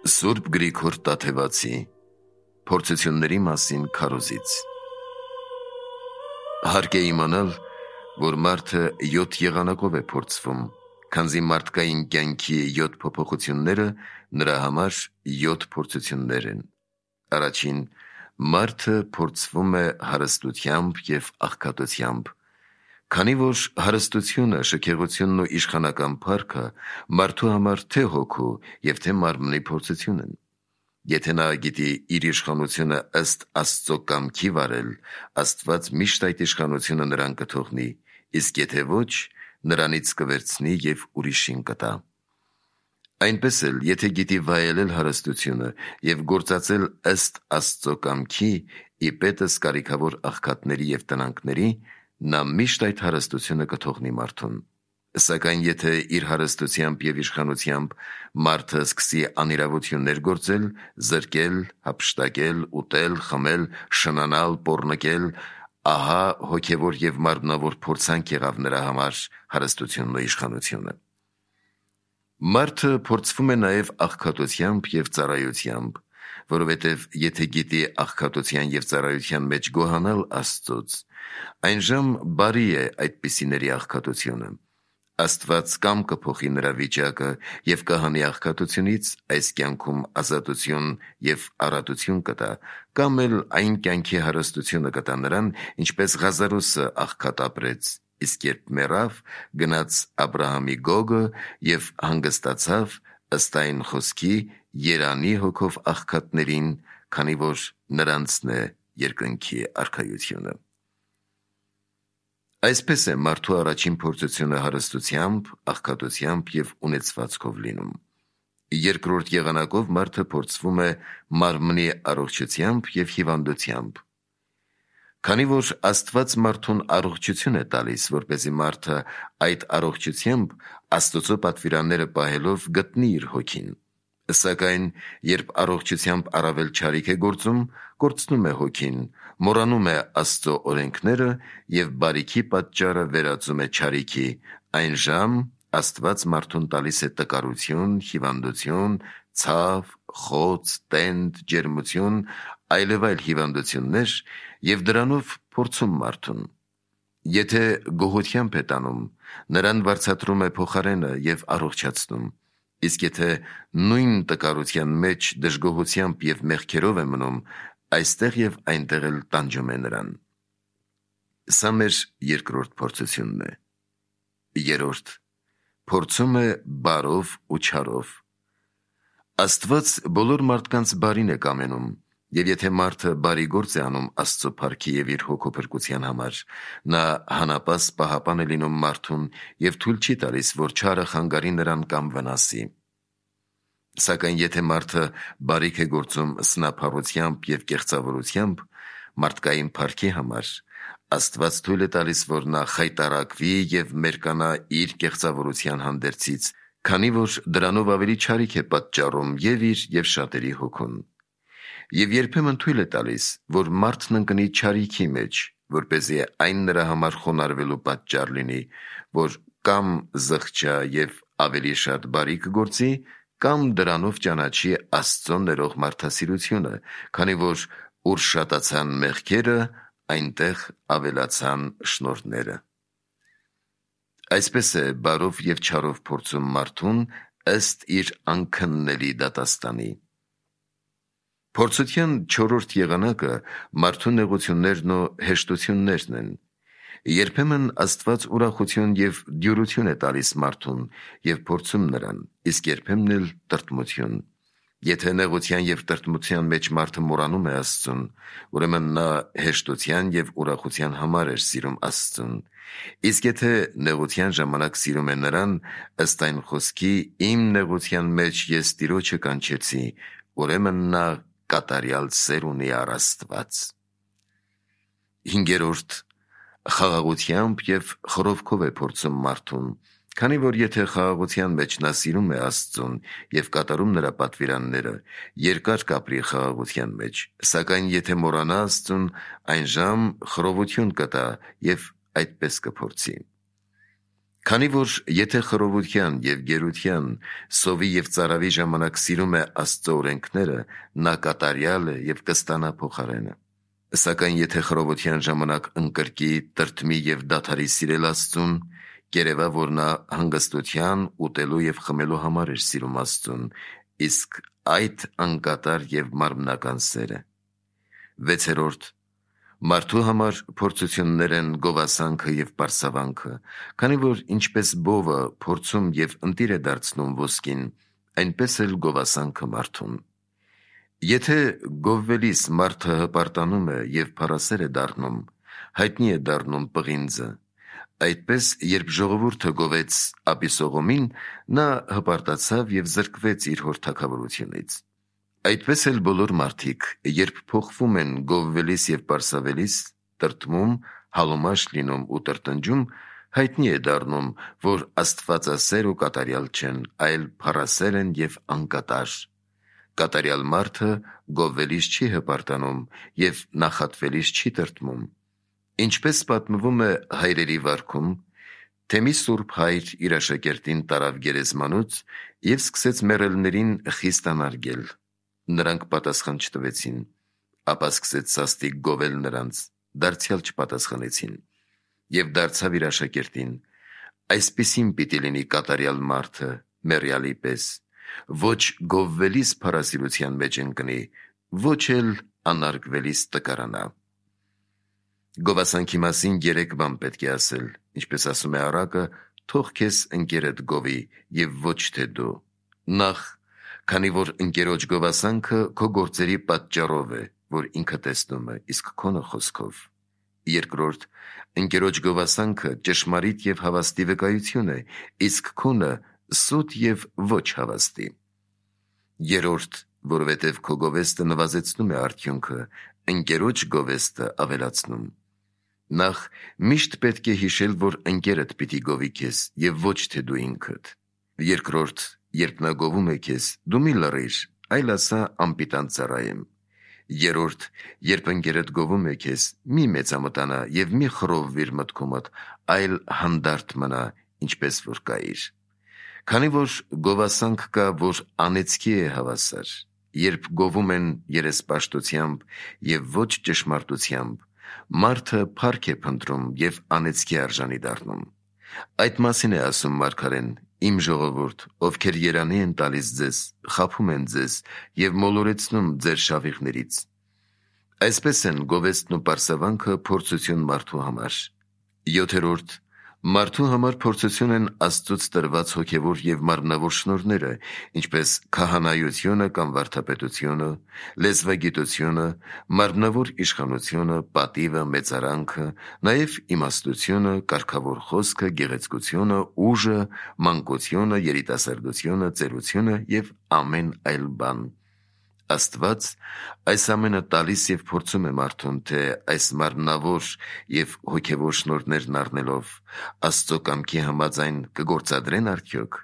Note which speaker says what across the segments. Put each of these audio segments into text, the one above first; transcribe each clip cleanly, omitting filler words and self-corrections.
Speaker 1: Սուրբ Գրիգոր Տաթևացի փորձությունների մասին քարոզից։ Հարկ է իմանալ, որ մարդը 7 եղանակով է փորձվում, քանզի մարդկային կյանքի 7 փոփոխությունները նրա համար 7 փորձություններ են։ Առաջին, մարդը փորձվում է հարստությամբ և աղքատությամբ, քանի որ հարստությունը, շքեղությունն ու իշխանական փառքը մարդու համար թե հոգու և թե մարմնի փորձություն են։ Եթե նա գիտի իր իշխանությունը ըստ Աստծո կամքի վարել, Աստված միշտ այդ իշխանությունը նրան կթողնի, իսկ եթե ոչ, նրանից կվերցնի և ուրիշին կտա։ Այնպես էլ, եթե գիտի վայելել հարստությունը և գործածել ըստ Աստծո կամքի, ի պետս կարիքավոր աղքատների և տնանքների, նա միշտ այդ հարստությունը կթողնի մարդուն։ Սակայն եթե իր հարստությամբ և իշխանությամբ մարդը սկսի անիրավություններ գործել, զրկել, հափշտակել, ուտել, խմել, շնանալ, պոռնկել, ահա հոգևոր և մարմնավոր փորձանք եղավ նրա համար հարստությունն ու իշխանությունը։ Մարդը փորձվում է նաև աղքատությամբ և ծառայությամբ, որովհետև եթե գիտի աղքատության և ծառայության մեջ գոհանալ Աստծուց, այնժամ բարի է այդպիսիների աղքատությունը։ Աստված կամ կփոխի նրա վիճակը և կհանի աղքատությունից այս կյանքում ազատություն և առատություն կտա, կամ էլ այն կյանքի հարստությունը կտա նրան, ինչպես Ղազարոսը աղքատ ապրեց, իսկ երբ մեռավ, գնաց Աբրահամի գոգը և հանգստացավ ըստ այն խոսքի երանի հոգով աղքատներին, քանի որ նրանցն է երկնքի արքայությունը։ Այսպես է մարդու առաջին փորձությունը հարստությամբ, աղքատությամբ և ունեցվածքով լինում։ Երկրորդ եղանակով մարդը փորձվում է մարմնի առողջությամբ և հիվանդությամբ։ Քանի որ Աստված մարդուն առողջություն է տալիս, որպեսզի մարդը այդ առողջությամբ Աստծո պատվիրանները պահելով գտնի իր հոգին, սակայն երբ առողջությամբ առավել չարիք է գործում, կորցնում է հոգին, մոռանում է Աստծո օրենքները և բարիքի պատճառը վերածում է չարիքի, այնժամ Աստված մարդուն տալիս է տկարություն, հիվանդություն, ցավ, խոց, տենդ, ջերմություն, այլևայլ հիվանդություններ և դրանով փորձում մարդուն։ Եթե գոհությամբ է տանում, նրան վարձատրում է փոխարենը և առողջացնում, իսկ եթե նույն տկարության մեջ դժգոհությամբ և մեղքերով է մնում, այստեղ և այնտեղ էլ տանջում է նրան։ Սա մեր երկրորդ փորձությունն է։ Երրորդ, փորձում է բարով ու չարով։ Աստված բոլոր մարդկանց բարին է կամենում, և եթե մարդը բարի գործ է անում Աստծո փառքի և իր հոգու փրկության համար, նա հանապաս պահապան է լինում մարդուն և թույլ չի տալիս, որ չարը խանգարի նրան կամ վնասի։ Սակայն եթե մարդը բարիք է գործում սնափառությամբ և կեղծավորությամբ մարդկային փառքի համար, Աստված թույլ է տալիս, որ նա խայտառակվի և մերկանա իր կեղծավորության հանդերձից, քանի որ դրանով ավելի չարիք է պատճառում և իր և շատերի հոգուն։ Եվ երբեմն թույլ է տալիս, որ մարդն ընկնի չարիքի մեջ, որպեսզի այն նրա համար խոնարհվելու պատճառ լինի, որ կամ զղջա և ավելի շատ բարիք գործի, կամ դրանով ճանաչի Աստծո ներող մարդասիրությունը, քանի որ ուր շատացան մեղքերը, այնտեղ ավելացան շնորհները։ Այսպես է բարով և չարով փորձում մարդուն ըստ իր անքննելի դատաստանի։ Փորձության չորրորդ եղանակը մարդու նեղություններն ու հեշտություններն են։ Երբեմն Աստված ուրախություն և դյուրություն է տալիս մարդուն և փորձում նրան, իսկ երբեմն էլ տրտմություն։ Եթե նեղության և տրտմության մեջ մարդը մոռանում է Աստծուն, ուրեմն նա հեշտության և ուրախության համար էր սիրում Աստծուն, իսկ եթե նեղության ժամանակ սիրում է նրան, ըստ այն խոսքի «Իմ նեղության մեջ ես Տիրոջը կանչեցի», ուրեմն նա կատարյալ սեր ունի առ Աստված։ Հինգերորդ, խաղաղությամբ և խռովքով է փորձում մարդուն, քանի որ եթե խաղաղության մեջ նա սիրում է Աստծուն և կատարում նրա պատվիրանները, երկար կապրի խաղաղության մեջ, սակայն եթե մոռանա Աստծուն, այնժամ խռովություն կտա և այդպես կփորձի։ Քանի որ եթե խռովության և գերության, սովի և ծարավի ժամանակ սիրում է Աստծո օրենքները, նա կատարյալ է և կստանա փոխարենը։ Սակայն եթե խռովության ժամանակ ընկրկի, տրտմի և դադարի սիրել Աստծուն, կերևա, որ նա հանգստության, ուտելու և խմելու համար էր սիրում Աստծուն, իսկ այդ անկատար և մարմնական սեր է։ 6. Մարդու համար փորձություններ են գովասանքը և պարսավանքը, քանի որ ինչպես բովը փորձում և ընտիր է դարձնում ոսկին, այնպես էլ գովասանքը մարդուն։ Եթե գովվելիս մարդը հպարտանում է և փառասեր է դառնում, հայտնի է դառնում պղինձը, այդպես երբ ժողովուրդը գովեց Աբիսողոմին, նա հպարտացավ և զրկվեց իր հոր թագավորությունից։ Այդպես էլ բոլոր մարդիկ, երբ փոխվում են գովվելիս և պարսավելիս, տրտմում, հալոմաշ լինում ու տրտնջում, հայտնի է դառնում, որ աստվածասեր ու կատարյալ չեն, այլ փառասեր են և անկատար։ Կատարյալ մարդը գովվելիս չի հպարտանում և նախատվելիս չի տրտմում։ Ինչպես պատմվում է Հայրերի վարքում, թե մի սուրբ հայր իր աշակերտին տարավ գերեզմանոց և սկսեց մեռելներին խիստ անարգել։ Նրանք պատասխան չտվեցին, ապա սկսեց սաստիկ գովել նրանց, դարձյալ չպատասխանեցին։ Եվ դարձավ իր աշակերտին. այսպիսին պիտի լինի կատարյալ մարդը մեռյալի պես, ոչ գովվելիս փառասիրության մեջ ընկնի, ոչ էլ անարգվելիս տկարանա։ Գովասանքի մասին 3 բան պետք է ասել, ինչպես ասում է առակը, թող քեզ ընկերդ գովի և ոչ թե դու։ Նախ, քանի որ ընկերոջ գովասանքը քո գործերի պատճառով է, որ ինքը տեսնում է, իսկ քոնը խոսքով։ Երկրորդ, ընկերոջ գովասանքը ճշմարիտ և հավաստի վկայություն է, իսկ քոնը սուտ և ոչ հավաստի։ Երրորդ, որովհետև քո գովեստը նվազեցնում է արդյունքը, ընկերոջ գովեստը ավելացնում։ Նախ, միշտ պետք է հիշել, որ ընկերդ պիտի գովի քեզ և ոչ թե դու ինքդ։ Երկրորդ, երբ նա գովում է քեզ, դու մի լռիր, այլ ասա անպիտան ծառայեմ։ Երրորդ, երբ ընկերդ գովում է քեզ, մի մեծամտանա և մի խռովվիր մտքումդ, այլ հանդարտ մնա, ինչպես որ կայիր։ Քանի որ գովասանք կա, որ անեծքի է հավասար, երբ գովում են երեսպաշտությամբ և ոչ ճշմարտությամբ, մարդը փառք է փնտրում և անեծքի արժանի դառնում։ Այդ մասին է ասում մարգարեն. «Իմ ժողովուրդ, ովքեր երանի են տալիս ձեզ, խաբում են ձեզ և մոլորեցնում ձեր շավիղներից»։ Այսպես են գովեստն ու պարսավանքը փորձություն մարդու համար։ 7. Մարդու համար փորձություն են Աստծուց տրված հոգևոր և մարմնավոր շնորհները, ինչպես քահանայությունը կամ վարդապետությունը, լեզվագիտությունը, մարմնավոր իշխանությունը, պատիվը, մեծարանքը, նաև իմաստությունը, կարգավոր խոսքը, գեղեցկությունը, ուժը, մանկությունը, երիտասարդությունը, ծերությունը և ամեն այլ բան։ Աստված այս ամենը տալիս և փորձում է մարդուն, թե այս մարմնավոր և հոգևոր շնորհներն առնելով Աստծո կամքի համաձայն կգործադրեն արդյոք։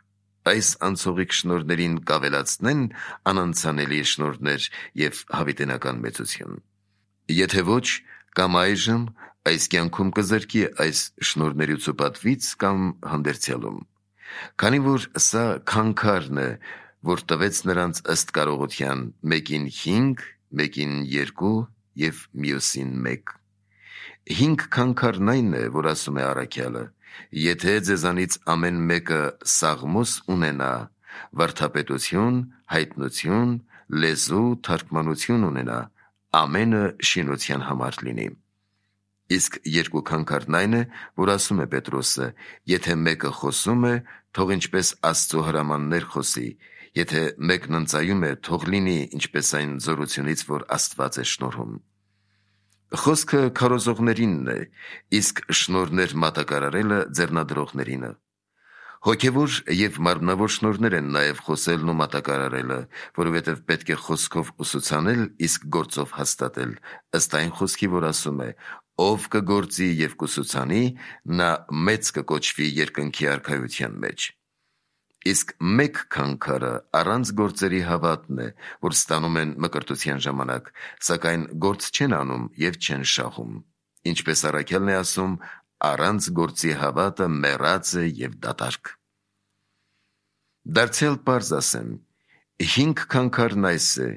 Speaker 1: Այս անցողիկ շնորհներին կավելացնեն անանցանելի շնորհներ և հավիտենական մեծություն։ Եթե ոչ, կամ այժմ այս կյանքում կզրկի այս շնորհներից ու պատվից, կամ հանդերձյալում։ Քանի որ սա քանքարն է, որ տվեց նրանց ըստ կարողության, մեկին 5, մեկին 2 և մյուսին 1։ 5 քանքարն այն է, որ ասում է առաքյալը. եթե ձեզանից ամեն մեկը սաղմոս ունենա, վարդապետություն, հայտնություն, լեզու, թարգմանություն ունենա, ամենը շինության համար լինի։ Իսկ 2 քանքարն այն է, որ ասում է Պետրոսը. եթե մեկը խոսում է, թող ինչպես Աստծո հրամաններ խոսի, եթե մեկն ընծայում է, թող լինի ինչպես այն զորությունից, որ Աստված է շնորհում։ Խոսքը քարոզողներինն է, իսկ շնորհներ մատակարարելը ձեռնադրողներինը։ Հոգևոր և մարմնավոր շնորհներ են նաև խոսելն ու մատակարարելը, որովհետև պետք է խոսքով ուսուցանել, իսկ գործով հաստատել, ըստ այն խոսքի, որ ասում է. «Ով կգործի և կուսուցանի, նա մեծ կկոչվի երկնքի արքայության մեջ»։ Իսկ 1 քանքարը առանց գործերի հավատն է, որ ստանում են մկրտության ժամանակ, սակայն գործ չեն անում և չեն շահում։ Ինչպես առաքյալն է ասում. առանց գործի հավատը մեռած է եւ դատարկ։ Դարձյալ պարզ ասեմ, 5 քանքարն այս է,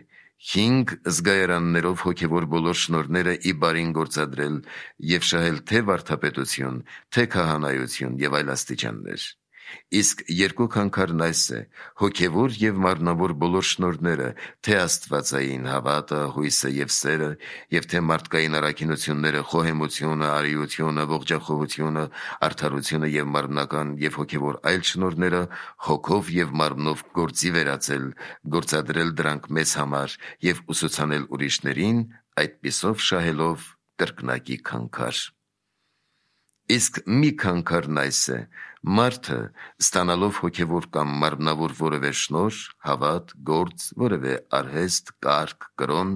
Speaker 1: 5 զգայարաններով հոգևոր բոլոր շնորհները ի բարին գործադրել եւ շահել թե վարդապետություն, թե քահանայություն եւ այլ աստիճաններ։ Իսկ 2 քանքարն այս է, հոգևոր եւ մարմնավոր բոլոր շնորհները, թե աստվածային հավատը, հույսը եւ սերը, եւ թե մարդկային առաքինությունները, խոհեմությունը, արիությունը, ողջախոհությունը, արդարությունը եւ մարմնական եւ հոգևոր այլ շնորհները, հոգով եւ մարմնով գործի վերածել, գործադրել դրանք մեզ համար եւ ուսուցանել ուրիշներին, այդպիսով շահելով կրկնակի քանքար։ Իսկ մի քանքարն այս է, մարդը ստանալով հոգևոր կամ մարմնավոր որևէ շնորհ, հավատ, գործ, որևէ արհեստ, կարգ, կրոն,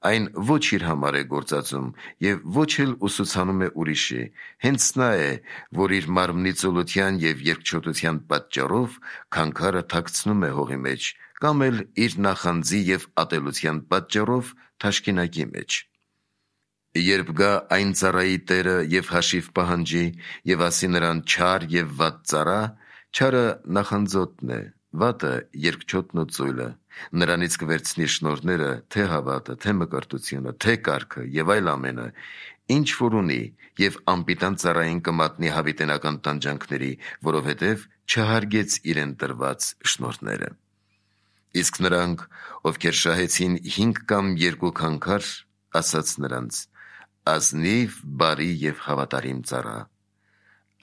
Speaker 1: այն ոչ իր համար է գործածում եւ ոչ էլ ուսուցանում է ուրիշի, հենց նա է, որ իր մարմնի ծուլության եւ երկչոտության պատճառով քանքարը թաքցնում է հողի մեջ, կամ էլ իր նախանձի եւ ատելության պատճառով թաշկինակի մեջ։ Երբ գա այն ծառայի տերը եւ հաշիվ պահանջի եւ ասի նրան չար եւ վատ ծառա, չարը նախանձոտն է, վատը երկչոտն ու ծույլը, նրանից կվերցնի շնորհները, թե հավատը, թե մկրտությունը, թե կարգը եւ այլ ամենը, ինչ որ ունի, եւ անպիտան ծառային կմատնի հավիտենական տանջանքների, որովհետեւ չհարգեց իրեն տրված շնորհները։ Իսկ նրանք, ովքեր շահեցին 5 կամ 2 քանքար, ասաց նրանց. ազնիվ, բարի եւ հավատարիմ ծառա։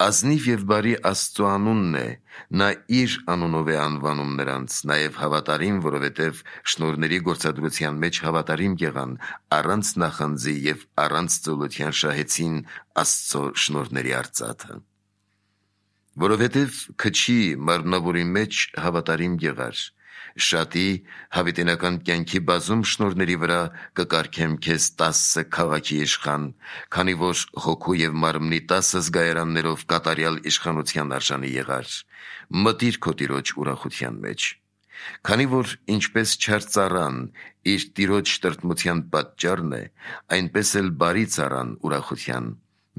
Speaker 1: Ազնիվ եւ բարի Աստծո անունն է, նա իր անունով է անվանում նրանց, նաեւ հավատարիմ, որովհետեւ շնորհների գործադրության մեջ հավատարիմ եղան, առանց նախանձի եւ առանց ծուլության շահեցին Աստծո շնորհների արծաթը։ Որովհետեւ քչի մարմնավորի մեջ հավատարիմ եղար, շատի հավիտենական կյանքի բազում շնորհների վրա կկարգեմ քեզ 10 քաղաքի իշխան, քանի որ հոգու եւ մարմնի 10 զգայարաններով կատարյալ իշխանության արժանի եղար, մտիր քո տիրոջ ուրախության մեջ։ Քանի որ ինչպես չար ծառան իր տիրոջ տրտմության պատճառն է, այնպես էլ բարի ծառան ուրախության,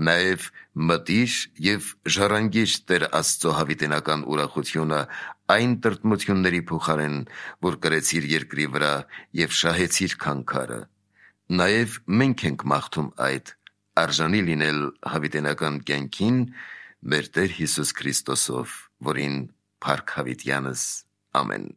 Speaker 1: նաեւ մտիր եւ ժառանգիր Տեր Աստծո հավիտենական ուրախությունը այն տրտմությունների փոխարեն, որ կրեցիր երկրի վրա եւ շահեցիր քանքարը։ Նաեւ մենք ենք մաղթում այդ, արժանի լինել հավիտենական կյանքին մեր Տեր Հիսուս Քրիստոսով, որին փառք հավիտյանս։ Ամեն։